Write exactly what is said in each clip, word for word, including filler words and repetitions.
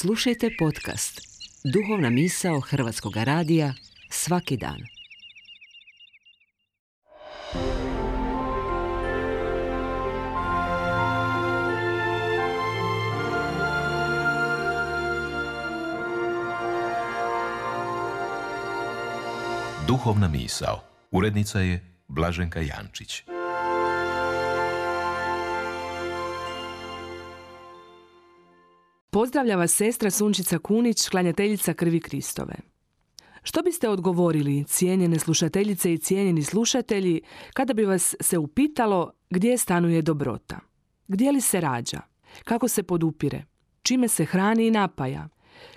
Slušajte podcast Duhovna misao Hrvatskog radija svaki dan. Duhovna misao. Urednica je Blaženka Jančić. Pozdravlja vas sestra Sunčica Kunić, klanjateljica krvi Kristove. Što biste odgovorili, cijenjene slušateljice i cijenjeni slušatelji, kada bi vas se upitalo gdje stanuje dobrota? Gdje li se rađa? Kako se podupire? Čime se hrani i napaja?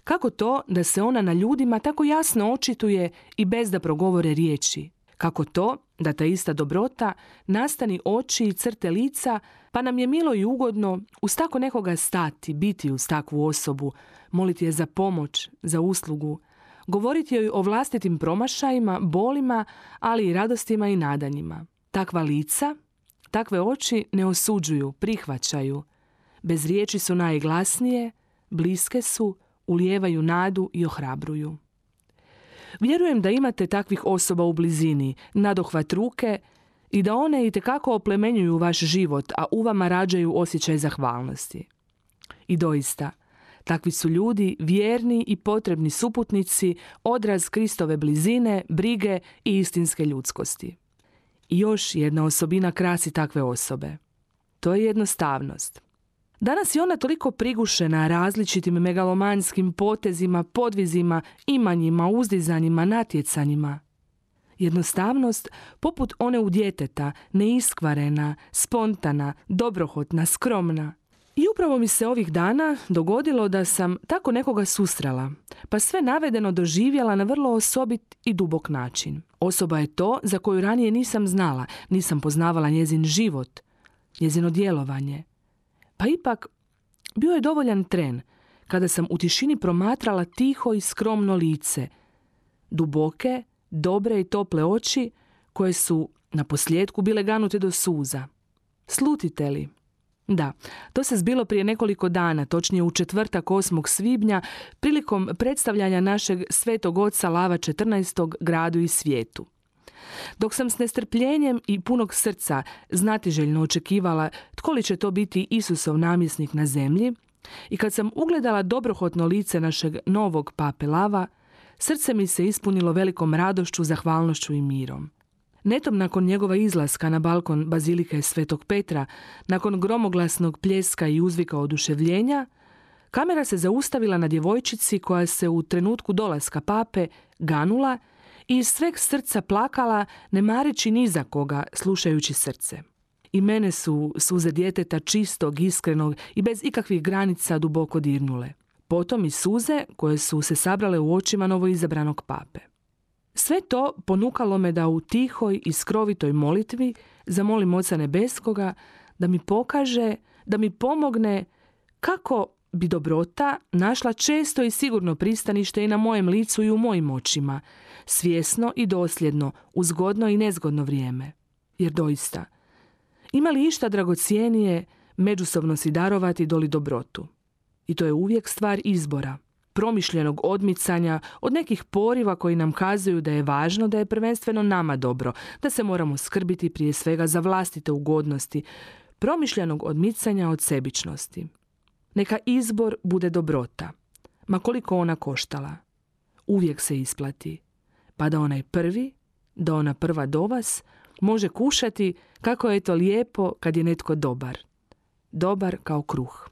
Kako to da se ona na ljudima tako jasno očituje i bez da progovore riječi? Kako to da ta ista dobrota nastani oči i crte lica, pa nam je milo i ugodno uz tako nekoga stati, biti uz takvu osobu, moliti je za pomoć, za uslugu, govoriti joj o vlastitim promašajima, bolima, ali i radostima i nadanjima. Takva lica, takve oči ne osuđuju, prihvaćaju. Bez riječi su najglasnije, bliske su, ulijevaju nadu i ohrabruju. Vjerujem da imate takvih osoba u blizini, nadohvat ruke i da one itekako oplemenjuju vaš život, a u vama rađaju osjećaj zahvalnosti. I doista, takvi su ljudi vjerni i potrebni suputnici, odraz Kristove blizine, brige i istinske ljudskosti. I još jedna osobina krasi takve osobe. To je jednostavnost. Danas je ona toliko prigušena različitim megalomanskim potezima, podvizima, imanjima, uzdizanjima, natjecanjima. Jednostavnost, poput one u djeteta, neiskvarena, spontana, dobrohotna, skromna. I upravo mi se ovih dana dogodilo da sam tako nekoga susrela, pa sve navedeno doživjela na vrlo osobit i dubok način. Osoba je to za koju ranije nisam znala, nisam poznavala njezin život, njezino djelovanje. Pa ipak, bio je dovoljan tren kada sam u tišini promatrala tiho i skromno lice, duboke, dobre i tople oči koje su na posljedku bile ganute do suza. Slutite li? Da, to se zbilo prije nekoliko dana, točnije u četvrtak osmog svibnja, prilikom predstavljanja našeg svetog oca Lava četrnaestog gradu i svijetu. Dok sam s nestrpljenjem i punog srca znatiželjno očekivala tko li će to biti Isusov namjesnik na zemlji, i kad sam ugledala dobrohotno lice našeg novog pape Lava, srce mi se ispunilo velikom radošću, zahvalnošću i mirom. Netom nakon njegova izlaska na balkon bazilike Svetog Petra, nakon gromoglasnog pljeska i uzvika oduševljenja, kamera se zaustavila na djevojčici koja se u trenutku dolaska pape ganula i iz sveg srca plakala, ne mareći ni za koga, slušajući srce. I mene su suze djeteta čistog, iskrenog i bez ikakvih granica duboko dirnule. Potom i suze koje su se sabrale u očima novoizabranog pape. Sve to ponukalo me da u tihoj i skrovitoj molitvi zamolim Oca Nebeskoga da mi pokaže, da mi pomogne kako bi dobrota našla često i sigurno pristanište i na mojem licu i u mojim očima, svjesno i dosljedno, u zgodno i nezgodno vrijeme. Jer doista, ima li išta dragocjenije međusobno si darovati doli dobrotu? I to je uvijek stvar izbora, promišljenog odmicanja od nekih poriva koji nam kazuju da je važno da je prvenstveno nama dobro, da se moramo skrbiti prije svega za vlastite ugodnosti, promišljenog odmicanja od sebičnosti. Neka izbor bude dobrota, ma koliko ona koštala. Uvijek se isplati, pa da onaj prvi, da ona prva do vas, može kušati kako je to lijepo kad je netko dobar. Dobar kao kruh.